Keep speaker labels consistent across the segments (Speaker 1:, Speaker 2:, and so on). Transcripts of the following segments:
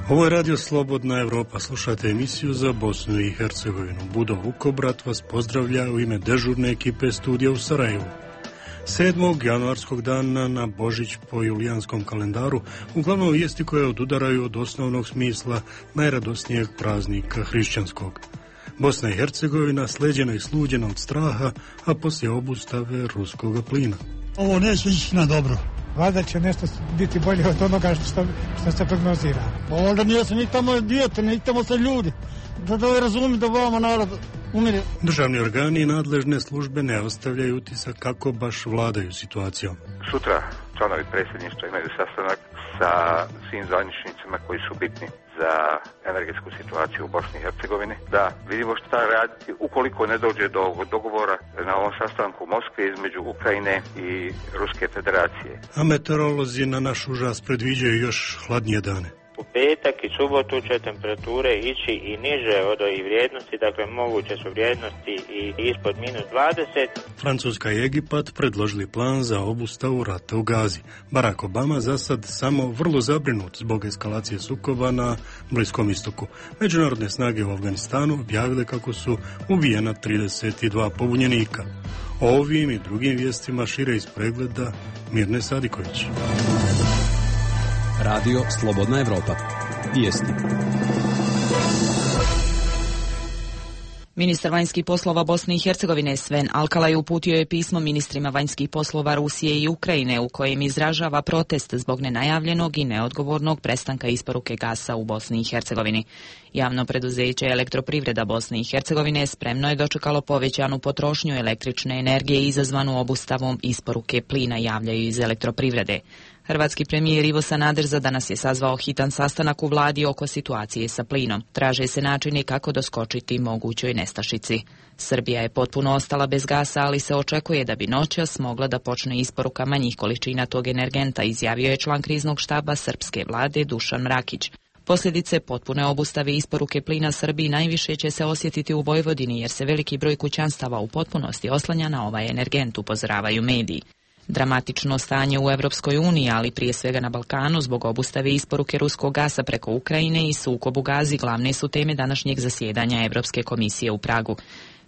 Speaker 1: Ovo je Radio Slobodna Evropa. Slušate emisiju za Bosnu i Hercegovinu. Budo Vukobrat vas pozdravlja u ime dežurne ekipe studija u Sarajevu. 7. januarskog dana na Božić po julijanskom kalendaru uglavnom vijesti koje odudaraju od osnovnog smisla najradosnijeg praznika hrišćanskog. Bosna i Hercegovina sleđena i sluđena od straha, a poslije obustave ruskog plina.
Speaker 2: Ovo neće ići na dobro.
Speaker 3: Valjda će nešto biti bolje od onoga što se prognozira.
Speaker 2: Ovdje nije se ni tamo dijete, ni tamo se ljudi. Da razumiju da vama narod umire.
Speaker 1: Državni organi i nadležne službe ne ostavljaju utisak kako baš vladaju situacijom.
Speaker 4: Sutra članovi predsjedništva imaju sastanak sa svim zvaničnicima koji su bitni za energetsku situaciju u Bosni i Hercegovini. Da vidimo šta raditi ukoliko ne dođe do dogovora na ovom sastanku u Moskvi između Ukrajine i Ruske federacije.
Speaker 1: A meteorolozi na naš užas predviđaju još hladnije dane.
Speaker 5: U petak i subotu će temperature ići i niže od ovih vrijednosti, dakle moguće su vrijednosti i ispod -20.
Speaker 1: Francuska i Egipat predložili plan za obustavu rata u Gazi. Barack Obama za sad samo vrlo zabrinut zbog eskalacije sukoba na Bliskom istoku. Međunarodne snage u Afganistanu objavile kako su ubijena 32 pobunjenika. O ovim i drugim vijestima šire iz pregleda Mirne Sadiković.
Speaker 6: Radio Slobodna Evropa. Vijesti.
Speaker 7: Ministar vanjskih poslova Bosne i Hercegovine Sven Alkalaj uputio je pismo ministrima vanjskih poslova Rusije i Ukrajine u kojem izražava protest zbog nenajavljenog i neodgovornog prestanka isporuke gasa u Bosni i Hercegovini. Javno preduzeće Elektroprivreda Bosne i Hercegovine spremno je dočekalo povećanu potrošnju električne energije izazvanu obustavom isporuke plina, javljaju iz Elektroprivrede. Hrvatski premijer Ivo Sanader za danas je sazvao hitan sastanak u vladi oko situacije sa plinom. Traže se načini kako doskočiti mogućoj nestašici. Srbija je potpuno ostala bez gasa, ali se očekuje da bi noćas mogla da počne isporuka manjih količina tog energenta, izjavio je član kriznog štaba srpske vlade Dušan Mrakić. Posljedice potpune obustave isporuke plina Srbiji najviše će se osjetiti u Vojvodini, jer se veliki broj kućanstava u potpunosti oslanja na ovaj energent, upozoravaju mediji. Dramatično stanje u Europskoj uniji, ali prije svega na Balkanu, zbog obustave isporuke ruskog gasa preko Ukrajine i sukob u Gazi glavne su teme današnjeg zasjedanja Europske komisije u Pragu.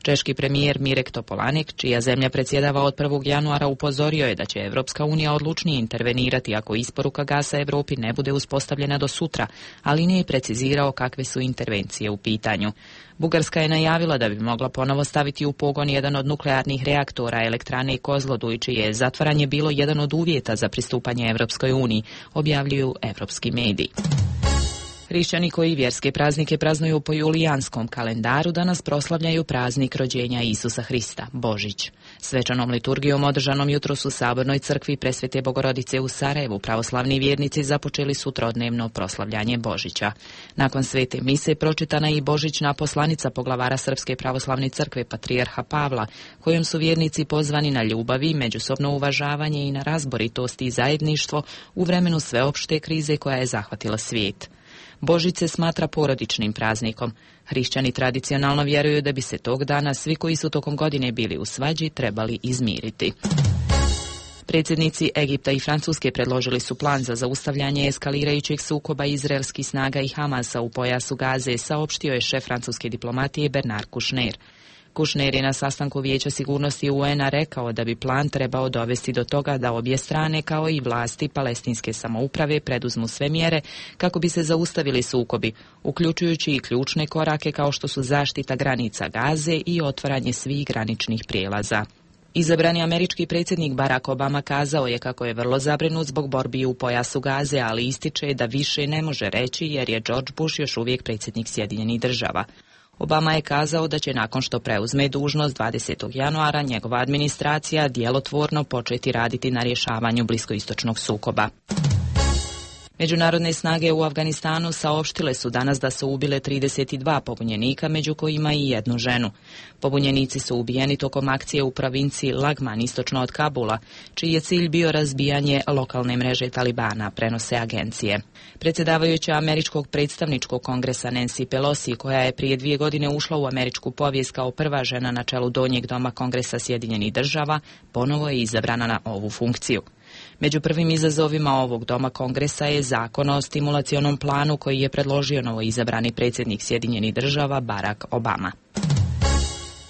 Speaker 7: Češki premijer Mirek Topolanek, čija zemlja predsjedava od 1. januara, upozorio je da će Evropska unija odlučnije intervenirati ako isporuka gasa Europi ne bude uspostavljena do sutra, ali nije precizirao kakve su intervencije u pitanju. Bugarska je najavila da bi mogla ponovo staviti u pogon jedan od nuklearnih reaktora elektrane Kozloduj, čije je zatvaranje bilo jedan od uvjeta za pristupanje Evropskoj uniji, objavljuju evropski mediji. Hrišćani koji vjerske praznike praznuju po julijanskom kalendaru danas proslavljaju praznik rođenja Isusa Hrista, Božić. Svečanom liturgijom održanom jutros u Sabornoj crkvi Presvete Bogorodice u Sarajevu pravoslavni vjernici započeli su trodnevno proslavljanje Božića. Nakon svete mise pročitana je i božićna poslanica poglavara Srpske pravoslavne crkve patrijarha Pavla, kojom su vjernici pozvani na ljubavi, međusobno uvažavanje i na razboritost i zajedništvo u vremenu sveopšte krize koja je zahvatila svijet. Božić se smatra porodičnim praznikom. Hrišćani tradicionalno vjeruju da bi se tog dana svi koji su tokom godine bili u svađi trebali izmiriti. Predsjednici Egipta i Francuske predložili su plan za zaustavljanje eskalirajućeg sukoba izraelskih snaga i Hamasa u pojasu Gaze, saopštio je šef francuske diplomatije Bernard Kouchner. Kouchner je na sastanku Vijeća sigurnosti UN-a rekao da bi plan trebao dovesti do toga da obje strane kao i vlasti palestinske samouprave preduzmu sve mjere kako bi se zaustavili sukobi, uključujući i ključne korake kao što su zaštita granica Gaze i otvaranje svih graničnih prijelaza. Izabrani američki predsjednik Barack Obama kazao je kako je vrlo zabrinut zbog borbi u pojasu Gaze, ali ističe da više ne može reći jer je George Bush još uvijek predsjednik Sjedinjenih Država. Obama je kazao da će nakon što preuzme dužnost 20. januara njegova administracija djelotvorno početi raditi na rješavanju bliskoistočnog sukoba. Međunarodne snage u Afganistanu saopštile su danas da su ubile 32 pobunjenika, među kojima i jednu ženu. Pobunjenici su ubijeni tokom akcije u provinciji Lagman, istočno od Kabula, čiji je cilj bio razbijanje lokalne mreže Talibana, prenose agencije. Predsjedavajuća američkog predstavničkog kongresa Nancy Pelosi, koja je prije 2 godine ušla u američku povijest kao prva žena na čelu donjeg doma Kongresa Sjedinjenih Država, ponovo je izabrana na ovu funkciju. Među prvim izazovima ovog doma kongresa je zakon o stimulacionom planu koji je predložio novoizabrani predsjednik Sjedinjenih Država Barack Obama.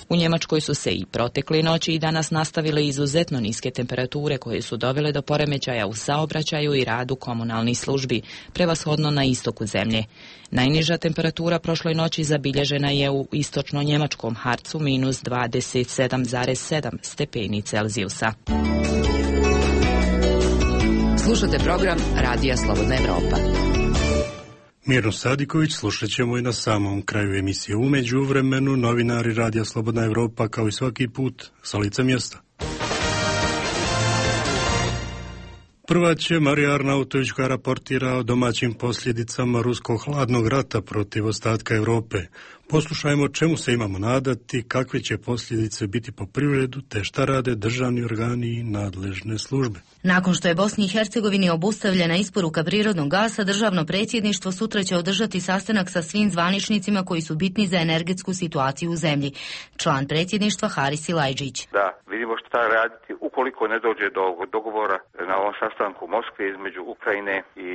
Speaker 7: U Njemačkoj su se i protekli noći i danas nastavile izuzetno niske temperature koje su dovele do poremećaja u saobraćaju i radu komunalnih službi, prevashodno na istoku zemlje. Najniža temperatura prošloj noći zabilježena je u istočno-njemačkom Harcu minus 27,7 stepeni Celzijusa.
Speaker 8: Slušate program Radija Slobodna Evropa.
Speaker 1: Mirno Sadiković slušat ćemo i na samom kraju emisije. U međuvremenu novinari Radija Slobodna Evropa kao i svaki put sa lica mjesta. Prva će Marija Arnautović koja raportira o domaćim posljedicama ruskog hladnog rata protiv ostatka Europe. Poslušajmo čemu se imamo nadati, kakve će posljedice biti po privredu, te šta rade državni organi i nadležne službe.
Speaker 9: Nakon što je Bosni i Hercegovini obustavljena isporuka prirodnog gasa, državno predsjedništvo sutra će održati sastanak sa svim zvaničnicima koji su bitni za energetsku situaciju u zemlji. Član predsjedništva Haris Silajđić.
Speaker 4: Da, vidimo šta raditi ukoliko ne dođe do dogovora na ovom sastanku u Moskvi između Ukrajine i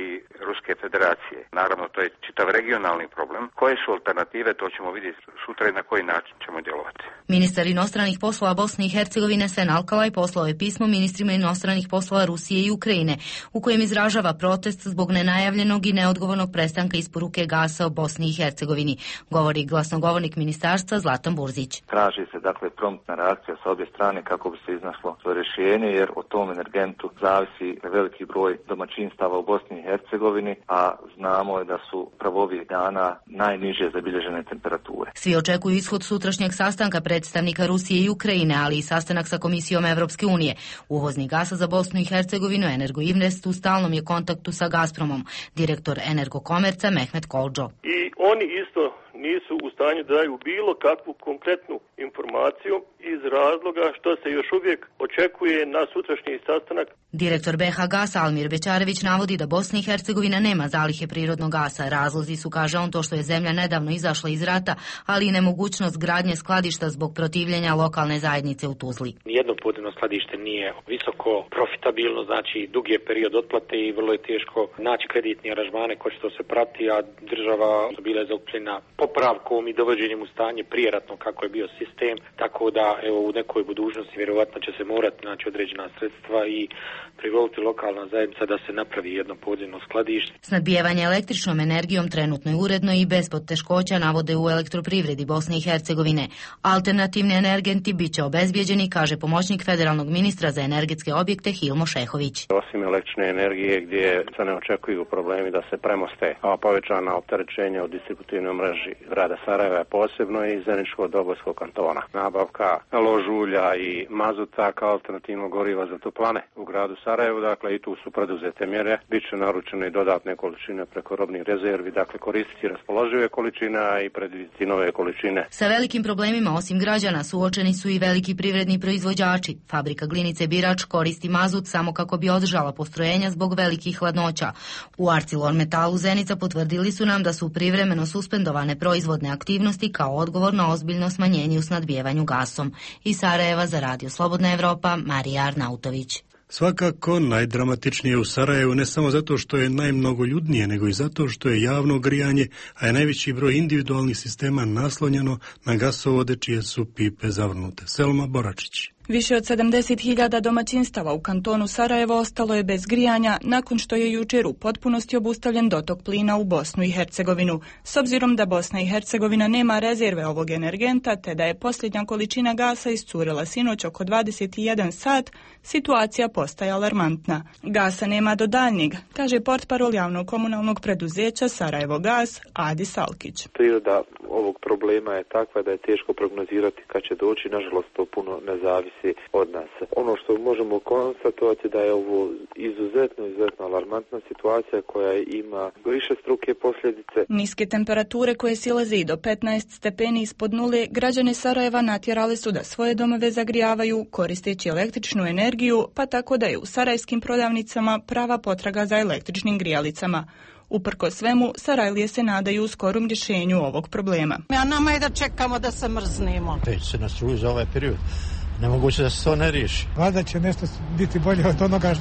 Speaker 4: Ruske federacije. Naravno, to je čitav regionalni problem. Koje su alternative, to ćemo vidjeti sutra i na koji način ćemo djelovati.
Speaker 9: Ministar inostranih poslova Bosne i Hercegovine Sven Alkalaj poslao je pismo ministrima inostranih poslova Rusije i Ukrajine, u kojem izražava protest zbog nenajavljenog i neodgovornog prestanka isporuke gasa u Bosni i Hercegovini, govori glasnogovornik ministarstva Zlatan Burzić.
Speaker 10: Traži se dakle promptna reakcija sa obje strane kako bi se iznašlo to rješenje, jer o tom energentu zavisi veliki broj domaćinstava u Bosni i Hercegovini, a znamo da su pravo ovih dana najniže zabilježene temperature.
Speaker 9: Svi očekuju ishod sutrašnjeg sastanka predstavnika Rusije i Ukrajine, ali i sastanak sa Komisijom Evropske unije. Uvoznik gasa za Bosnu i Hercegovinu Energoinvest u stalnom je kontaktu sa Gazpromom, direktor Energokomerca Mehmet Kolđo.
Speaker 11: I oni isto nisu u stanju da daju bilo kakvu konkretnu informaciju iz razloga što se još uvijek očekuje na sutrašnji sastanak.
Speaker 9: Direktor BH Gasa Almir Bećarević navodi da Bosna i Hercegovina nema zalihe prirodnog gasa. Razlozi su, kaže on, to što je zemlja nedavno izašla iz rata, ali i nemogućnost gradnje skladišta zbog protivljenja lokalne zajednice u Tuzli.
Speaker 12: Nijedno podzemno skladište nije visoko profitabilno, znači dug je period otplate i vrlo je teško naći kreditni aranžmane koji će to se prati, a država bila je zaokupljena popravkom i dovođenjem u stanje prijeratno kako je bio sistem, tako da evo u nekoj budućnosti vjerovatno će se morati naći određena sredstva i privoliti lokalna zajednica da se napravi jedno podzemno skladište.
Speaker 9: Snadbijevanje električnom energijom trenutno je uredno i bez poteškoća, navode u elektroprivredi Bosne i Hercegovine. Alternativni energenti bit će obezbijeđeni, kaže pomoćnik federalnog ministra za energetske objekte Hilmo Šehović.
Speaker 13: Osim električne energije gdje se ne očekuju problemi da se premoste, a povećana opterećenja u distributivnoj mreži grada Sarajeva posebno i Zeničko-Dobojskog kantona. Nabavka ložulja i mazuta kao alternativno goriva za toplane u gradu Sarajevu, dakle i tu su preduzete mjere. Biće naručene i dodatne količine preko robnih rezervi, dakle koristiti raspoložive količine i predvidjeti nove količine.
Speaker 9: Sa velikim problemima osim građana suočeni su i veliki privredni proizvođači. Fabrika Glinice Birač koristi mazut samo kako bi održala postrojenja zbog velikih hladnoća. U ArcelorMettalu Zenica potvrdili su nam da su privremeno suspendovane proizvodne aktivnosti kao odgovor na ozbiljno smanjenje u snadbijevanju gasom. Iz Sarajeva za Radio Slobodna Evropa, Marija Arnautović.
Speaker 1: Svakako najdramatičnije u Sarajevu ne samo zato što je najmnogoljudnije, nego i zato što je javno grijanje, a je najveći broj individualnih sistema naslonjeno na gasovode čije su pipe zavrnute. Selma Boračić.
Speaker 14: Više od 70.000 domaćinstava u kantonu Sarajevo ostalo je bez grijanja nakon što je jučer u potpunosti obustavljen dotok plina u Bosnu i Hercegovinu. S obzirom da Bosna i Hercegovina nema rezerve ovog energenta, te da je posljednja količina gasa iscurila sinoć oko 21 sat, situacija postaje alarmantna. Gasa nema do daljnjeg, kaže portparol javnog komunalnog preduzeća Sarajevo Gas Adi Salkić.
Speaker 15: Priroda ovog problema je takva da je teško prognozirati kad će doći, nažalost to puno ne zavisi od nas. Ono što možemo konstatovati da je ovo izuzetno alarmantna situacija koja ima višestruke posljedice.
Speaker 14: Niske temperature koje silaze i do 15 stepeni ispod nule građane Sarajeva natjerali su da svoje domove zagrijavaju koristeći električnu energiju, pa tako da je u sarajevskim prodavnicama prava potraga za električnim grijalicama. Uprkos svemu, Sarajlije se nadaju skorom rješenju ovog problema.
Speaker 16: A nama je da čekamo da se mrznemo.
Speaker 2: Već se na struju za ovaj period.
Speaker 16: Nemoguće da se to ne riješi.
Speaker 3: Valjda će nešto biti bolje od onoga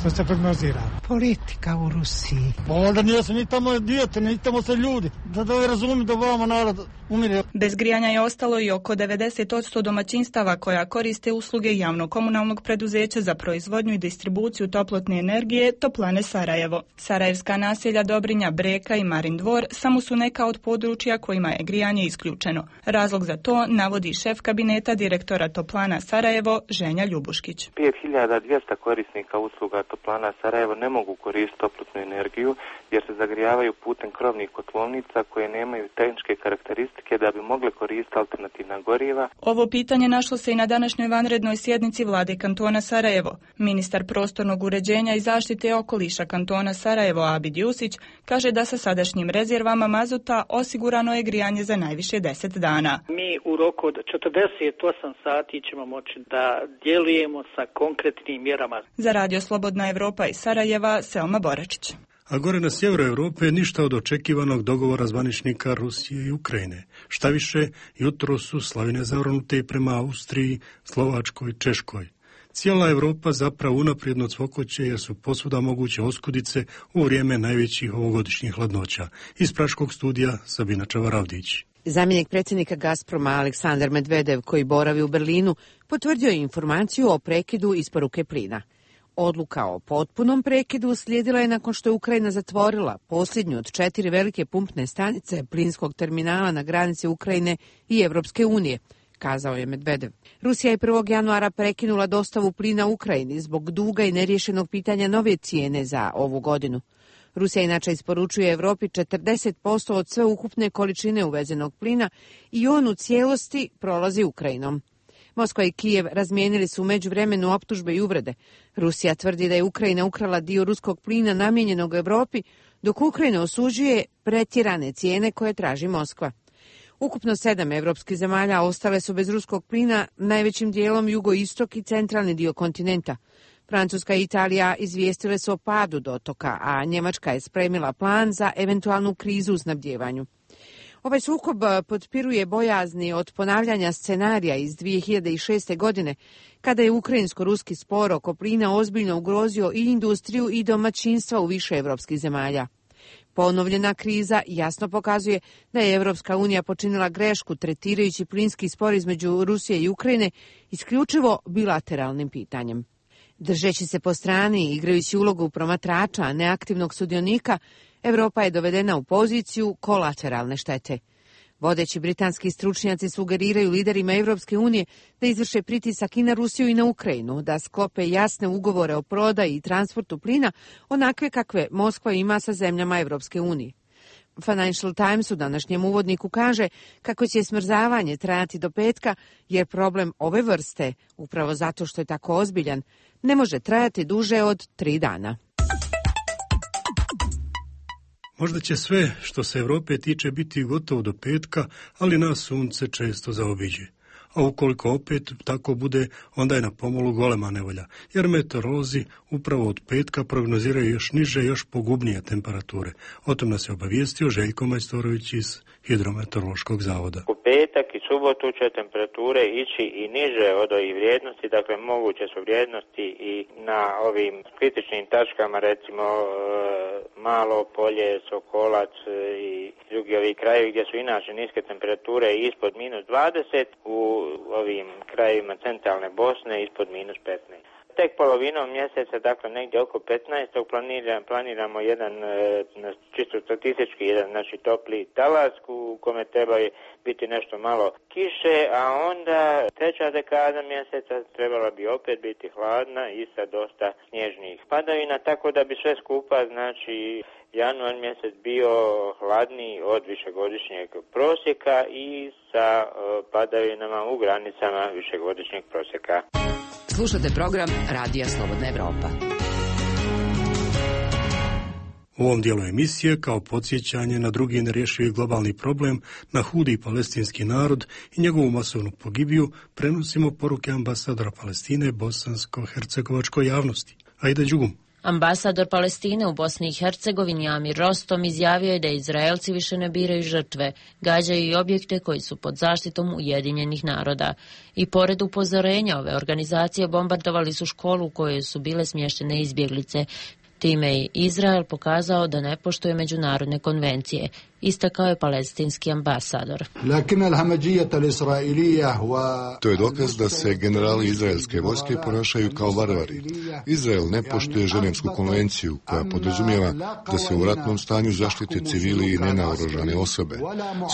Speaker 3: što se prognozira.
Speaker 2: Politika u Rusiji. Onda nije se ni tamo dijete, ni tamo se ljudi. Da razumiju da vama narod umire.
Speaker 14: Bez grijanja je ostalo i oko 90% domaćinstava koja koriste usluge javno-komunalnog preduzeća za proizvodnju i distribuciju toplotne energije Toplane Sarajevo. Sarajevska naselja Dobrinja, Breka i Marin Dvor samo su neka od područja kojima je grijanje isključeno. Razlog za to navodi šef kabineta direktora Toplana Sarajevo, Ženja Ljubuškić.
Speaker 10: 5200 korisnika usluga Toplana Sarajevo ne mogu koristiti toplotnu energiju jer se zagrijavaju putem krovnih kotlovnica koje nemaju tehničke karakteristike da bi mogle koristiti alternativna goriva.
Speaker 14: Ovo pitanje našlo se i na današnjoj vanrednoj sjednici vlade kantona Sarajevo. Ministar prostornog uređenja i zaštite okoliša kantona Sarajevo Abid Jusić kaže da sa sadašnjim rezervama mazuta osigurano je grijanje za najviše 10 dana.
Speaker 17: Mi u roku od 48 sati ćemo moći da djelujemo sa konkretnim mjerama.
Speaker 14: Za Radio Slobodna Evropa iz Sarajeva, Selma Boračić.
Speaker 1: A gore na sjeveru Europe ništa od očekivanog dogovora zvaničnika Rusije i Ukrajine. Šta više, jutro su slavine zavrnute prema Austriji, Slovačkoj i Češkoj. Cijela Europa zapravo unaprijedno cvokoće jer su posvuda moguće oskudice u vrijeme najvećih ovogodišnjih hladnoća. Iz Praškog studija Sabina Čavaravdić.
Speaker 18: Zamjenik predsjednika Gazproma Aleksandar Medvedev, koji boravi u Berlinu, potvrdio je informaciju o prekidu isporuke plina. Odluka o potpunom prekidu slijedila je nakon što je Ukrajina zatvorila posljednju od 4 velike pumpne stanice plinskog terminala na granici Ukrajine i Evropske unije, kazao je Medvedev. Rusija je 1. januara prekinula dostavu plina Ukrajini zbog duga i neriješenog pitanja nove cijene za ovu godinu. Rusija inače isporučuje Europi 40% od sve ukupne količine uvezenog plina i on u cijelosti prolazi Ukrajinom. Moskva i Kijev razmijenili su u međuvremenu optužbe i uvrede. Rusija tvrdi da je Ukrajina ukrala dio ruskog plina namijenjenog Europi, dok Ukrajina osuđuje pretjerane cijene koje traži Moskva. Ukupno 7 evropskih zemalja ostale su bez ruskog plina, najvećim dijelom jugoistok i centralni dio kontinenta. Francuska i Italija izvijestile su o padu dotoka, a Njemačka je spremila plan za eventualnu krizu u snabdjevanju. Ovaj sukob potpiruje bojazni od ponavljanja scenarija iz 2006. godine, kada je ukrajinsko-ruski spor oko plina ozbiljno ugrozio i industriju i domaćinstva u više evropskih zemalja. Ponovljena kriza jasno pokazuje da je Evropska unija počinila grešku tretirajući plinski spor između Rusije i Ukrajine isključivo bilateralnim pitanjem. Držeći se po strani i igrajući ulogu promatrača, a neaktivnog sudionika, Evropa je dovedena u poziciju kolateralne štete. Vodeći britanski stručnjaci sugeriraju liderima Evropske unije da izvrše pritisak i na Rusiju i na Ukrajinu, da sklope jasne ugovore o prodaji i transportu plina, onakve kakve Moskva ima sa zemljama Evropske unije. Financial Times u današnjem uvodniku kaže kako će smrzavanje trajati do petka, jer problem ove vrste, upravo zato što je tako ozbiljan, ne može trajati duže od 3 dana.
Speaker 1: Možda će sve što se Europe tiče biti gotovo do petka, ali nas sunce često zaobiđe. A ukoliko opet tako bude, onda je na pomolu golema nevolja, jer meteorolozi upravo od petka prognoziraju još niže, još pogubnije temperature. O tom nas je obavijestio Željko Majstorović iz Hidrometeorološkog zavoda.
Speaker 5: U petak i subotu će temperature ići i niže od ovih vrijednosti, dakle moguće su vrijednosti i na ovim kritičnim tačkama, recimo Malo Polje, Sokolac i drugi ovi krajevi gdje su inače niske temperature ispod -20, u ovim krajevima centralne Bosne ispod -15. Tek polovinom mjeseca, dakle negdje oko 15. planiramo jedan, čisto statistički, jedan topli talas u kome treba biti nešto malo kiše, a onda treća dekada mjeseca trebala bi opet biti hladna i sa dosta snježnih padavina, tako da bi sve skupa, januar mjesec bio hladniji od višegodišnjeg prosjeka i sa padavinama u granicama višegodišnjeg prosjeka.
Speaker 8: Slušate program Radija Slobodna Evropa.
Speaker 1: U ovom dijelu emisije, kao podsjećanje na drugi nerješivi globalni problem, na hudi palestinski narod i njegovu masovnu pogibiju, prenosimo poruke ambasadora Palestine bosansko-hercegovačkoj javnosti. Ajde Đugum.
Speaker 16: Ambasador Palestine u Bosni i Hercegovini Amir Rostom izjavio je da Izraelci više ne biraju žrtve, gađaju i objekte koji su pod zaštitom Ujedinjenih naroda. I pored upozorenja ove organizacije bombardovali su školu u kojoj su bile smještene izbjeglice. Time je Izrael pokazao da ne poštuje međunarodne konvencije, istakao je palestinski ambasador.
Speaker 19: To je dokaz da se generali izraelske vojske ponašaju kao varvari. Izrael ne poštuje Ženevsku konvenciju koja podrazumijeva da se u ratnom stanju zaštite civili i nenaoružane osobe.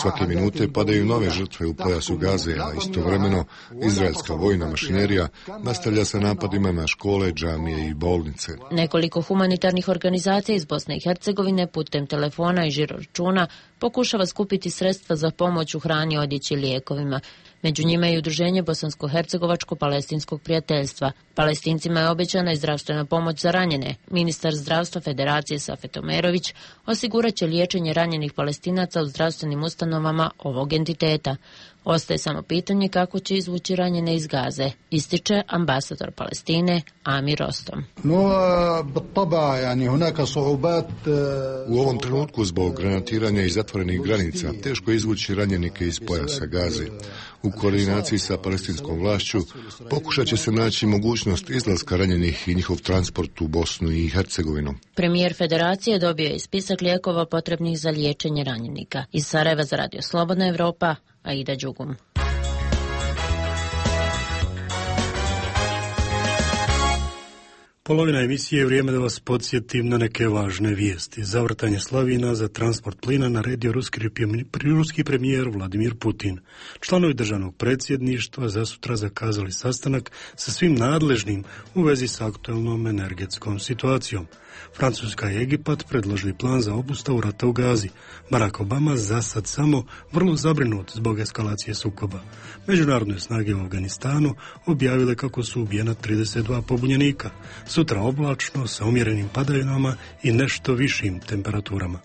Speaker 19: Svake minute padaju nove žrtve u pojasu Gaze, a istovremeno izraelska vojna mašinerija nastavlja sa napadima na škole, džamije i bolnice.
Speaker 16: Nekoliko humanitarnih organizacija iz Bosne i Hercegovine putem telefona i žiroračuna pokušava skupiti sredstva za pomoć u hrani, odjeći i lijekovima. Među njima je i udruženje Bosansko-hercegovačko-palestinskog prijateljstva. Palestincima je obećana i zdravstvena pomoć za ranjene. Ministar zdravstva Federacije Safet Omerović osigurat će liječenje ranjenih Palestinaca u zdravstvenim ustanovama ovog entiteta. Ostaje samo pitanje kako će izvući ranjene iz Gaze, ističe ambasador Palestine Amir Rostom.
Speaker 19: U ovom trenutku zbog granatiranja i zatvorenih granica teško je izvući ranjenike iz pojasa Gaze. U koordinaciji sa palestinskom vlašću pokušat će se naći mogućnost izlaska ranjenih i njihov transport u Bosnu i Hercegovinu.
Speaker 16: Premijer Federacije dobio je spisak lijekova potrebnih za liječenje ranjenika. Iz Sarajeva za Radio Slobodna Evropa, Aida Đugum.
Speaker 1: Polovina emisije je vrijeme da vas podsjetim na neke važne vijesti. Zavrtanje slavina za transport plina naredio ruski premijer Vladimir Putin. Članovi državnog predsjedništva za sutra zakazali sastanak sa svim nadležnim u vezi s aktualnom energetskom situacijom. Francuska i Egipat predložili plan za obustavu rata u Gazi. Barack Obama za sad samo vrlo zabrinut zbog eskalacije sukoba. Međunarodne snage u Afganistanu objavile kako su ubijena 32 pobunjenika. Sutra oblačno sa umjerenim padavinama i nešto višim temperaturama.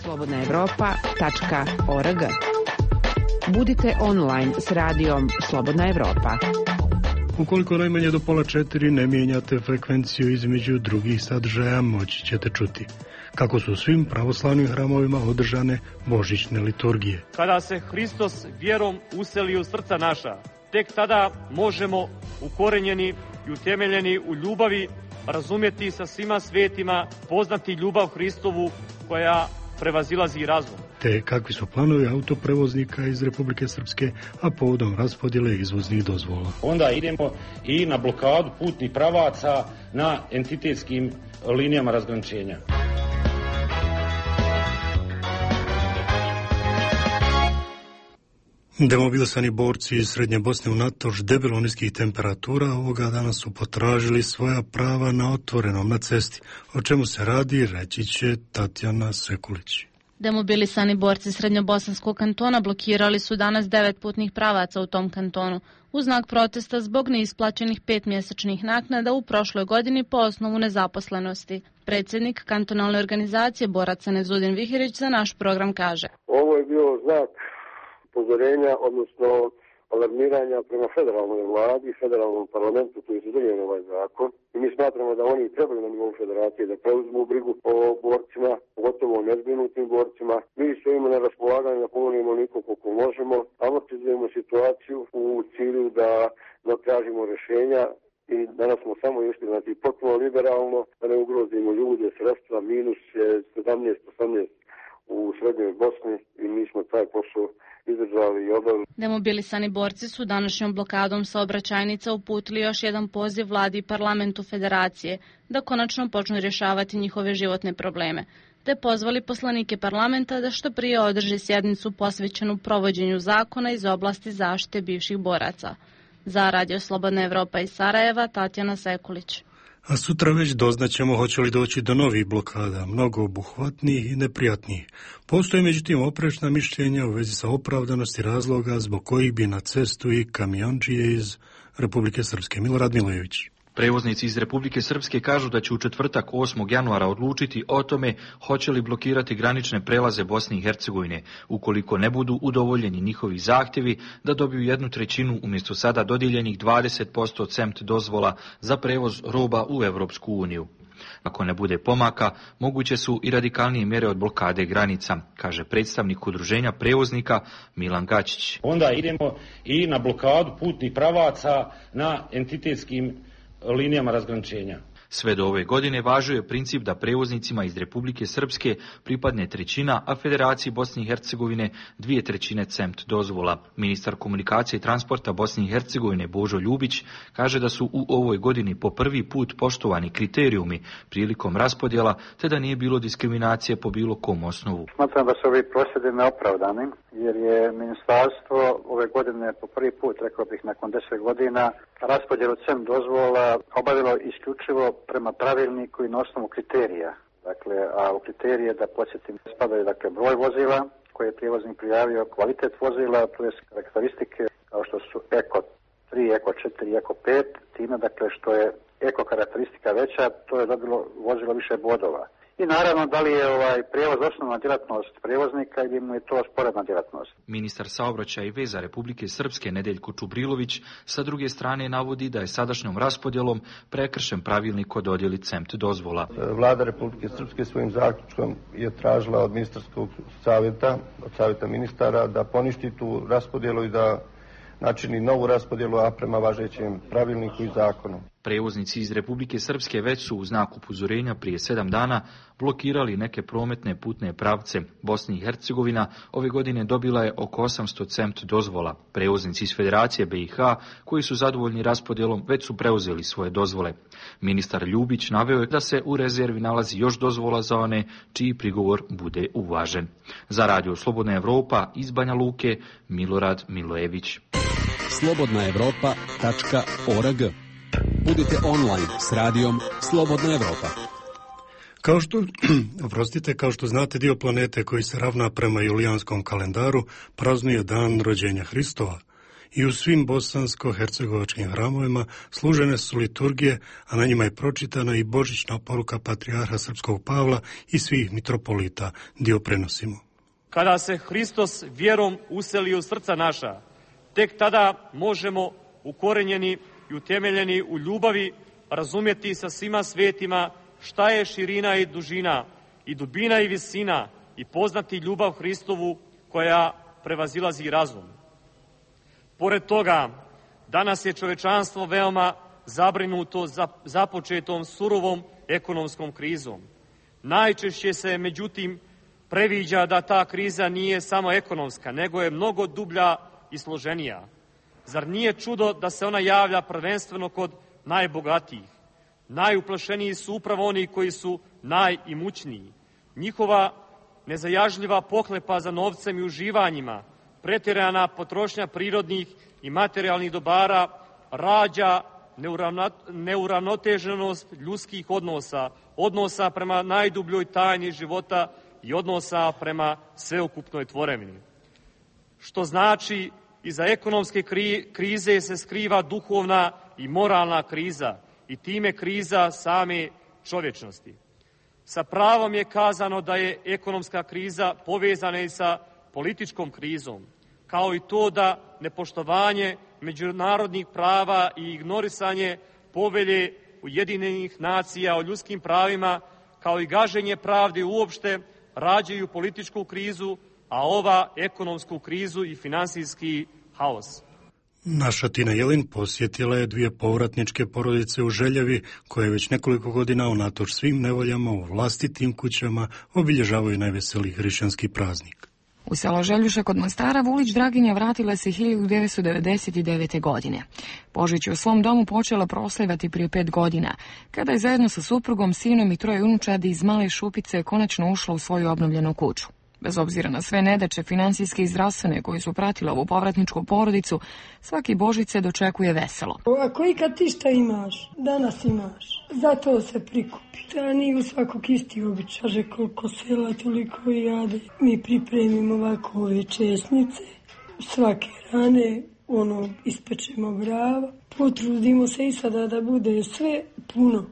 Speaker 18: slobodnaevropa.org. Budite online s radijom Slobodna Evropa.
Speaker 1: Ukoliko najmanje do 3:30 ne mijenjate frekvenciju između drugih sadržaja, moći ćete čuti kako su u svim pravoslavnim hramovima održane božićne liturgije.
Speaker 20: Kada se Hristos vjerom useli u srca naša, tek tada možemo ukorenjeni i utemeljeni u ljubavi razumjeti sa svima svetima, poznati ljubav Hristovu koja prevazilazi razum.
Speaker 1: Te kakvi su planovi autoprevoznika iz Republike Srpske, a povodom raspodjele izvoznih dozvola.
Speaker 21: Onda idemo i na blokadu putnih pravaca na entitetskim linijama razgraničenja.
Speaker 1: Demobilisani borci iz Srednje Bosne unatoč debelo niskih temperatura ovoga dana su potražili svoja prava na otvorenom na cesti. O čemu se radi, reći će Tatjana Sekulić.
Speaker 22: Demobilisani borci Srednjobosanskog kantona blokirali su danas 9 putnih pravaca u tom kantonu u znak protesta zbog neisplaćenih 5 mjesečnih naknada u prošloj godini po osnovu nezaposlenosti. Predsjednik kantonalne organizacije boraca Nevzudin Vihirić za naš program kaže:
Speaker 23: Ovo je bio znak upozorenja, odnosno alarmiranja prema federalnoj vladi i federalnom parlamentu koji su donijeli ovaj zakon. I mi smatramo da oni trebaju na nivou federacije da preuzmu brigu o borcima, pogotovo o nezbrinutim borcima. Mi stojimo na raspolaganju da pomognemo onoliko koliko možemo, amortizujemo situaciju u cilju da tražimo rješenja i danas smo samo išli potpuno liberalno, da ne ugrozimo ljude, sredstva, minus je 17-18 u Srednjoj Bosni i mi smo taj posao izdržali i obavili.
Speaker 22: Demobilisani borci su današnjom blokadom saobraćajnica uputili još jedan poziv vladi i parlamentu federacije da konačno počnu rješavati njihove životne probleme, te pozvali poslanike parlamenta da što prije održi sjednicu posvećenu provođenju zakona iz oblasti zaštite bivših boraca. Za Radio Slobodna Evropa iz Sarajeva, Tatjana Sekulić.
Speaker 1: A sutra već doznaćemo hoće li doći do novih blokada, mnogo obuhvatnijih i neprijatnijih. Postoje međutim oprečna mišljenja u vezi sa opravdanosti razloga zbog kojih bi na cestu i kamionđije iz Republike Srpske. Milorad Milojević.
Speaker 24: Prevoznici iz Republike Srpske kažu da će u četvrtak 8. januara odlučiti o tome hoće li blokirati granične prelaze Bosne i Hercegovine, ukoliko ne budu udovoljeni njihovi zahtjevi da dobiju 1/3 umjesto sada dodijeljenih 20% CEMT dozvola za prevoz roba u Europsku uniju. Ako ne bude pomaka, moguće su i radikalnije mjere od blokade granica, kaže predstavnik udruženja prevoznika Milan Gačić.
Speaker 21: Onda idemo i na blokadu putnih pravaca na entitetskim linijama razgraničenja.
Speaker 24: Sve do ove godine važio je princip da prevoznicima iz Republike Srpske pripadne 1/3, a Federaciji Bosne i Hercegovine 2/3 CEMT dozvola. Ministar komunikacije i transporta Bosne i Hercegovine Božo Ljubić kaže da su u ovoj godini po prvi put poštovani kriterijumi prilikom raspodjela, te da nije bilo diskriminacije po bilo kom osnovu.
Speaker 4: Smatram da su ovi prosvjedi neopravdani, jer je ministarstvo ove godine po prvi put, rekao bih nakon 10 godina, raspodjelu CEMT dozvola obavilo isključivo prema pravilniku i na osnovu kriterija. Dakle, a u kriterije, da podsjetim, spadaju broj vozila koje je prijevoznik prijavio, kvalitet vozila, to je karakteristike kao što su Eko 3, Eko 4, Eko 5, time što je Eko karakteristika veća, to je dobilo vozilo više bodova. I naravno, da li je prijevoz osnovna djelatnost prijevoznika ili mu je to sporedna djelatnost.
Speaker 24: Ministar saobraćaja i veza Republike Srpske Nedeljko Čubrilović sa druge strane navodi da je sadašnjom raspodjelom prekršen pravilnik o dodjeli CEMT dozvola.
Speaker 6: Vlada Republike Srpske svojim zaključkom je tražila od ministarskog savjeta, od savjeta ministara, da poništi tu raspodjelu i da načini novu raspodjelu, a prema važećem pravilniku i zakonu.
Speaker 24: Prevoznici iz Republike Srpske već su u znak upozorenja prije 7 dana blokirali neke prometne putne pravce. Bosna i Hercegovina ove godine dobila je oko 800 CEMT dozvola. Prevoznici iz Federacije BiH, koji su zadovoljni raspodjelom, već su preuzeli svoje dozvole. Ministar Ljubić naveo je da se u rezervi nalazi još dozvola za one čiji prigovor bude uvažen. Za Radio Slobodna Evropa iz Banja Luke, Milorad Milojević.
Speaker 7: slobodnaevropa.org. Budite online s radijom Slobodna Evropa.
Speaker 1: Kao što znate, dio planete koji se ravna prema julijanskom kalendaru praznuje dan rođenja Hristova. I u svim bosansko-hercegovačkim hramovima služene su liturgije, a na njima je pročitana i božićna poruka patrijarha srpskog Pavla i svih mitropolita. Dio prenosimo.
Speaker 20: Kada se Hristos vjerom useli u srca naša, tek tada možemo ukorenjeni i utemeljeni u ljubavi razumjeti sa svima svetima šta je širina i dužina i dubina i visina i poznati ljubav Hristovu koja prevazilazi razum. Pored toga, danas je čovečanstvo veoma zabrinuto započetom surovom ekonomskom krizom. Najčešće se, međutim, previđa da ta kriza nije samo ekonomska, nego je mnogo dublja i složenija. Zar nije čudo da se ona javlja prvenstveno kod najbogatijih? Najuplašeniji su upravo oni koji su najimućniji. Njihova nezajažljiva pohlepa za novcem i uživanjima, pretjerana potrošnja prirodnih i materijalnih dobara rađa neuravnoteženost ljudskih odnosa prema najdubljoj tajni života i odnosa prema sveukupnoj tvorevini. Što znači, iza ekonomske krize se skriva duhovna i moralna kriza i time kriza same čovječnosti. Sa pravom je kazano da je ekonomska kriza povezana i sa političkom krizom, kao i to da nepoštovanje međunarodnih prava i ignorisanje povelje Ujedinjenih nacija o ljudskim pravima, kao i gaženje pravde uopšte, rađaju političku krizu, a ova ekonomsku krizu i finansijski haos.
Speaker 1: Naša Tina Jelin posjetila je 2 povratničke porodice u Željevi, koje već nekoliko godina unatoč svim nevoljama u vlastitim kućama obilježavaju najveseliji hrišćanski praznik.
Speaker 11: U selo Željuša kod Mostara Vulić Draginja vratila se 1999. godine. Božić je u svom domu počela proslavljati prije 5 godina, kada je zajedno sa suprugom, sinom i 3 unučadi iz Male Šupice konačno ušla u svoju obnovljenu kuću. Bez obzira na sve nedaće financijske i zdravstvene koji su pratile ovu povratničku porodicu, svaki Božić se dočekuje veselo.
Speaker 25: Ako ikad ti šta imaš, danas imaš. Zato se prikupi. Da nije u svakog isti običaj. Kaže koliko sela, toliko i jade. Mi pripremimo ovako ove česnice. Svake rane, ispečemo brava. Potrudimo se i sada da bude sve puno.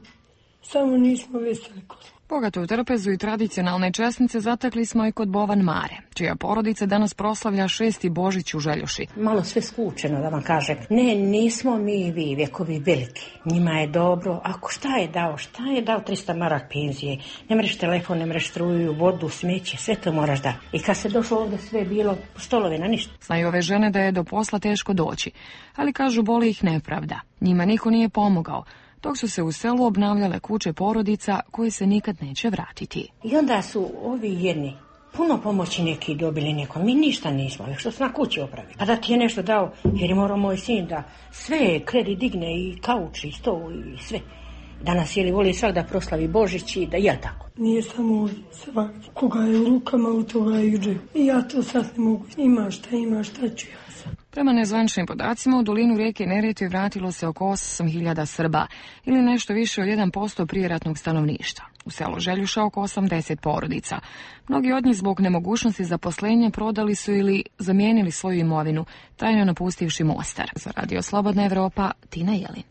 Speaker 25: Samo nismo veseli kod.
Speaker 11: Bogatu trpezu i tradicionalne česnice zatekli smo i kod Bovan Mare, čija porodica danas proslavlja 6. Božić u Željuši.
Speaker 3: Malo sve skučeno, da vam kažem. Ne, nismo mi vi vjekovi veliki. Njima je dobro. Ako šta je dao 300 marak penzije. Ne mreš telefon, ne mreš struju, vodu, smeće, sve to moraš da. I kad se došlo ovdje sve bilo stolove na ništa.
Speaker 11: Znaju ove žene da je do posla teško doći, ali kažu boli ih nepravda. Njima niko nije pomogao, dok su se u selu obnavljale kuće porodica koje se nikad neće vratiti.
Speaker 3: I onda su ovi jedni puno pomoći neki dobili nekom. Mi ništa nismo, što su na kući opravili. Pa da ti je nešto dao, jer je morao moj sin da sve kredit digne i kauč i stol i sve. Danas je li voli svak da proslavi Božić i da je tako.
Speaker 25: Nije samo svak, koga je u rukama, u toga iđe. I ja to sad ne mogu. Ima šta ću ja sad.
Speaker 11: Prema nezvaničnim podacima, u dolinu rijeke Neretve vratilo se oko 8.000 Srba, ili nešto više od 1% prijeratnog stanovništva. U selu Željuša oko 80 porodica. Mnogi od njih zbog nemogućnosti zaposlenja prodali su ili zamijenili svoju imovinu, tajno napustivši Mostar. Za Radio Slobodna Evropa, Tina Jelin.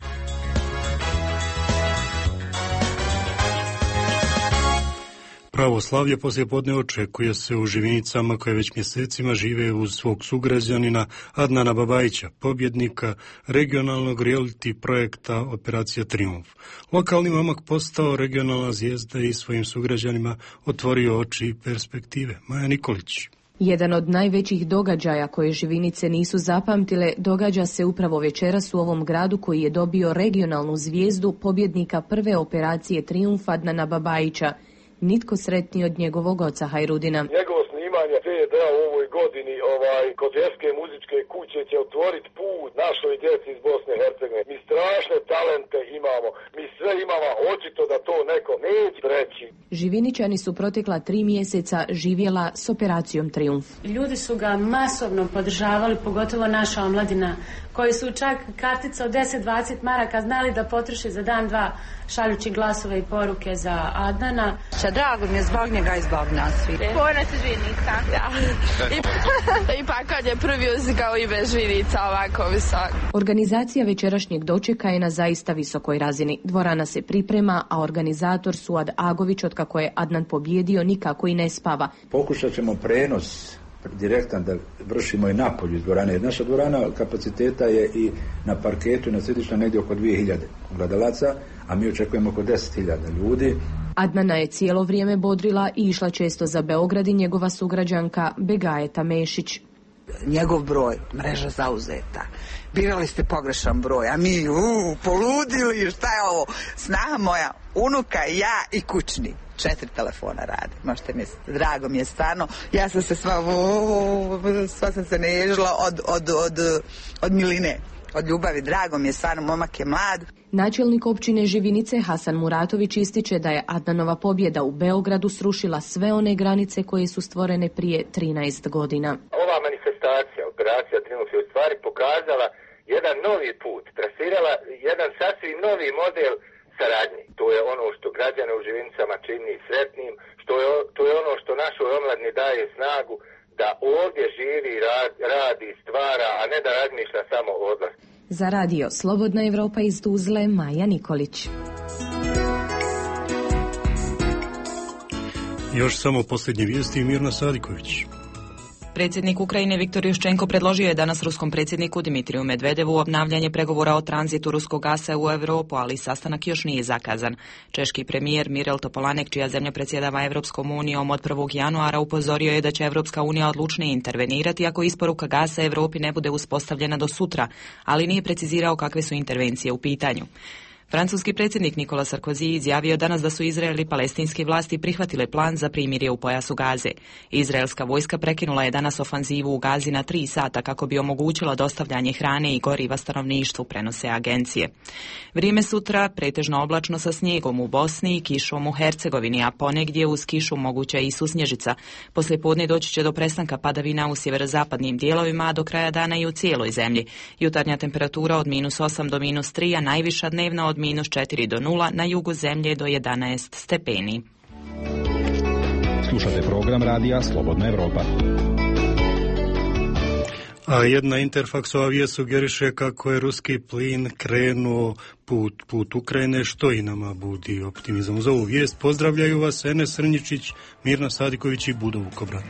Speaker 1: Pravoslavlje poslijepodne očekuje se u Živinicama koje već mjesecima žive uz svog sugrađanina Adnana Babajića, pobjednika regionalnog reality projekta Operacija Trijumf. Lokalni momak postao regionalna zvijezda i svojim sugrađanima otvorio oči i perspektive. Maja Nikolić.
Speaker 9: Jedan od najvećih događaja koje Živinice nisu zapamtile događa se upravo večeras u ovom gradu koji je dobio regionalnu zvijezdu pobjednika prve operacije Trijumf Adnana Babajića. Nitko sretniji od njegovog oca Hajrudina.
Speaker 12: Njegovo snimanje CD u ovoj godini kod Vjerske muzičke kuće će otvoriti put našoj djeci iz Bosne i Hercegovine. Mi strašne talente imamo, mi sve imamo, očito da to neko neće reći.
Speaker 9: Živiničani su protekla 3 mjeseca živjela s operacijom Trijumf.
Speaker 13: Ljudi su ga masovno podržavali, pogotovo naša omladina, koji su čak kartica od 10-20 maraka znali da potroši za dan, dva, šaljući glasove i poruke za Adnana.
Speaker 15: Drago mi je zbog njega i zbog nas svi.
Speaker 26: Ponos Žvinica. Ja. I pa kad je prvi uzigao ime Žvinica ovako visok.
Speaker 9: Organizacija večerašnjeg dočeka je na zaista visokoj razini. Dvorana se priprema, a organizator Suad Agović, otkako je Adnan pobjedio, nikako i ne spava.
Speaker 27: Pokušat ćemo prenos direktan da vršimo i napolju iz dvorane. Naša dvorana kapaciteta je i na parketu i na središtu negdje oko 2000 gledalaca, a mi očekujemo oko 10.000 ljudi.
Speaker 9: Adnana je cijelo vrijeme bodrila i išla često za Beograd i njegova sugrađanka Begajeta Mešić.
Speaker 28: Njegov broj, mreža zauzeta. Birali ste pogrešan broj, a mi poludili, šta je ovo? Snaha moja, unuka, ja i kućni. 4 telefona rade, možete misliti. Drago mi je stvarno. Ja sam se sva sam se nežila od miline, od ljubavi. Drago mi je stvarno, momak je mlad.
Speaker 9: Načelnik općine Živinice Hasan Muratović ističe da je Adnanova pobjeda u Beogradu srušila sve one granice koje su stvorene prije 13 godina.
Speaker 12: Ova manifestacija, operacija Trijumf, je u stvari pokazala jedan novi put, trasirala jedan sasvim novi model saradnji. To je ono što građane u Živinicama čini sretnim, to je ono što našoj omladini daje snagu da ovdje živi, radi, stvara, a ne da razmišlja samo o odlasku.
Speaker 9: Za Radio Slobodna Evropa iz Tuzle, Maja Nikolić.
Speaker 1: Još samo posljednje vijesti, Mirna Sadiković.
Speaker 29: Predsjednik Ukrajine Viktor Juščenko predložio je danas ruskom predsjedniku Dimitriju Medvedevu obnavljanje pregovora o tranzitu ruskog gasa u Europu, ali sastanak još nije zakazan. Češki premijer Mirel Topolanek, čija zemlja predsjedava Evropskom unijom od 1. januara, upozorio je da će Evropska unija odlučnije intervenirati ako isporuka gasa Europi ne bude uspostavljena do sutra, ali nije precizirao kakve su intervencije u pitanju. Francuski predsjednik Nicolas Sarkozy izjavio danas da su Izrael i palestinske vlasti prihvatile plan za primirje u pojasu Gaze. Izraelska vojska prekinula je danas ofanzivu u Gazi na 3 sata kako bi omogućila dostavljanje hrane i goriva stanovništvu, prenose agencije. Vrijeme sutra pretežno oblačno sa snijegom u Bosni i kišom u Hercegovini, a ponegdje uz kišu moguća i susnježica. Poslijepodne doći će do prestanka padavina u sjeverozapadnim dijelovima, a do kraja dana i u cijeloj zemlji. Jutarnja temperatura od -8 do -3, a najviša dnevna od -4 do 0, na jugu zemlje do 11 stepeni.
Speaker 30: Slušate program radija Slobodna Evropa.
Speaker 1: A jedna Interfaksova vijest sugeriše kako je ruski plin krenuo put Ukrajine, što i nama budi optimizam. Za ovu vijest pozdravljaju vas Enes Srnjičić, Mirna Sadiković i Budo Vukobrat.